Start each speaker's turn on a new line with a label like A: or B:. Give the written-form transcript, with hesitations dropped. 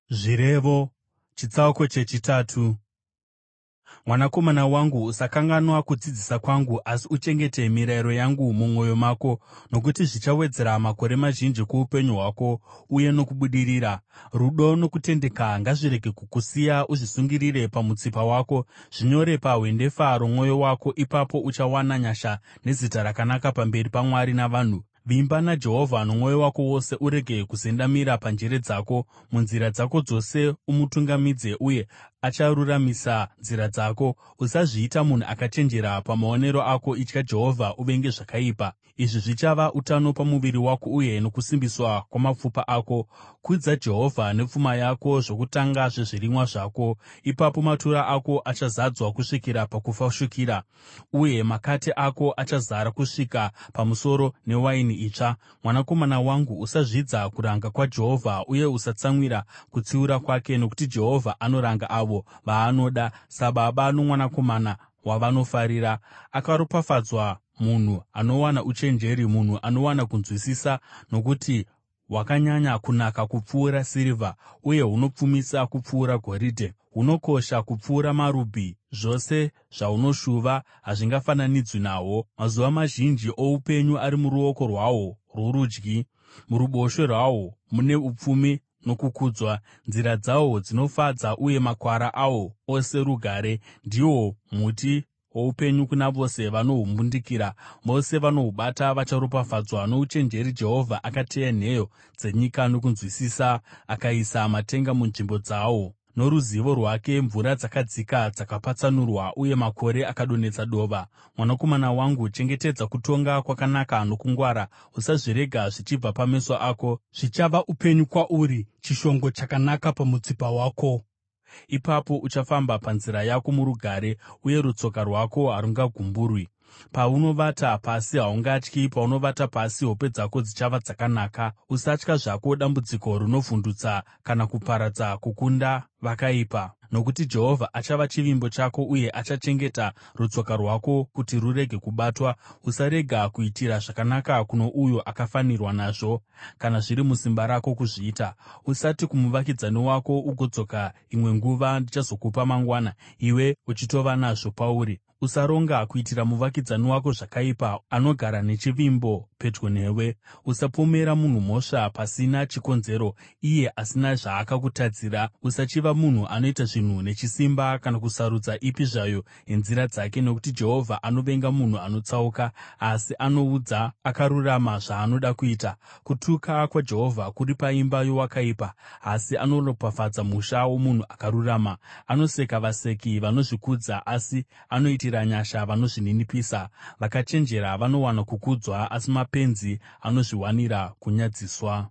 A: Zvirevo chitsauko chechitatu. Mwanakomana wangu, usakanganwa kudzidzisa kwangu, asi uchengete mirayiro yangu mumwoyo mako, nokuti zvichawedzera makore mazhinji kuupenyu hwako uye nokubudirira. Rudo nokutendeka ngazvirege kukusiya; uzvisungirire pamutsipa wako, zvinyore pahwendefa romwoyo wako. Ipapo uchawana nyasha nezita rakanaka pamberi paMwari navanhu. Vimba naJehovha nomwoyo wako wose urege kuzendamira panjere dzako; munzira dzako dzose umutungamidze, uye acharuramisa nzira dzako. Usazviita munhu akachenjera pamaonero ako; itya Jehovha uvenge zvakaipa. Izvi zvichava utano pamuviri wako uye nokusimbiswa kwamapfupa ako. Kudza Jehovha nepfuma yako, zvokutanga zvezvirimwa zvako; ipapo matura ako achazadzwa kusvikira pakufashukira, uye makate ako achazara kusvika pamusoro newaini itsva. Mwanakomana wangu, usazvidza kuranga kwaJehovha, uye usatsamwira kutsiura kwake, nokuti Jehovha anoranga avo vaanoda, sababa nomwanakomana wavanofarira. Akaropafadzwa munhu anowana uchenjeri, munhu anowana kunzwisisa, nokuti hwakanyanya kunaka kupfuura sirivha, uye hunopfumisa kupfuura goridhe. Hunokosha kupfuura marubhi, zvose zvaunoshuva hazvingafananidzwi nahwo. Mazuva mazhinji oupenyu ari muruoko rwahwo rworudyi, muruboshwe rwahwo mune upfumi nokukudzwa. Nzira dzahwo dzinofadza, uye makwara ahwo ose rugare. Ndihwo muti woupenyu kuna vose vanohumbundikira; vose vanohubata vacharopafadzwa. Nouchenjeri Jehovha akateya nheyo dzenyika, nokunzwisisa akaisa matenga munzvimbo dzawo. Noruzivo rwake mvura dzakadzika dzakapatsanurwa, uye makore akadonhedza dova. Mwanakomana wangu, chengetedza kutonga kwakanaka nokungwara, usazvirega zvichibva pameso ako;
B: Zvichava upenyu kwauri, chishongo chakanaka pamutsipa wako.
A: Ipapo uchafamba panzira yako murugare, uye rutsoka rwako harungagumburwi. Paunovata pasi, haungatyi; paunovata pasi, hope dzako dzichava dzakanaka. Usatya zvako dambudziko rinovhundutsa, kana kuparadza kukunda vakaipa, nokuti Jehovha achava chivimbo chako uye achachengeta rutsoka rwako kuti rurege kubatwa. Usarega kuitira zvakanaka kuno uyo akafanirwa nazvo, kana zviri musimba rako kuzviita. Usati kumuvakidzani wako, “Ugodzoka imwe nguva, ndichazokupa mangwana,” iwe uchitova nazvo pauri. Usaronga kuitira muvakidzani wako zvakaipa, anogara nechivimbo pedyo newe. Usapomera munhu mhosva pasina chikonzero, iye asina zvaakakutadzira. Usachiva munhu anoita zvinhu nechisimba, kana kusarudza ipi zvayo yenzira dzake, nokuti Jehovha anovenga munhu anotsauka, asi anoudza akarurama zvaanoda kuita. Kutuka kwaJehovha kuri paimba yowakaipa, asi anoropafadza musha womunhu akarurama. Anoseka vaseki vanozvikudza, asi anoitira nyasha vanozvininipisa. Vakachenjera vanowana kukudzwa, asi mapenzi anozviwanira kunyadziswa.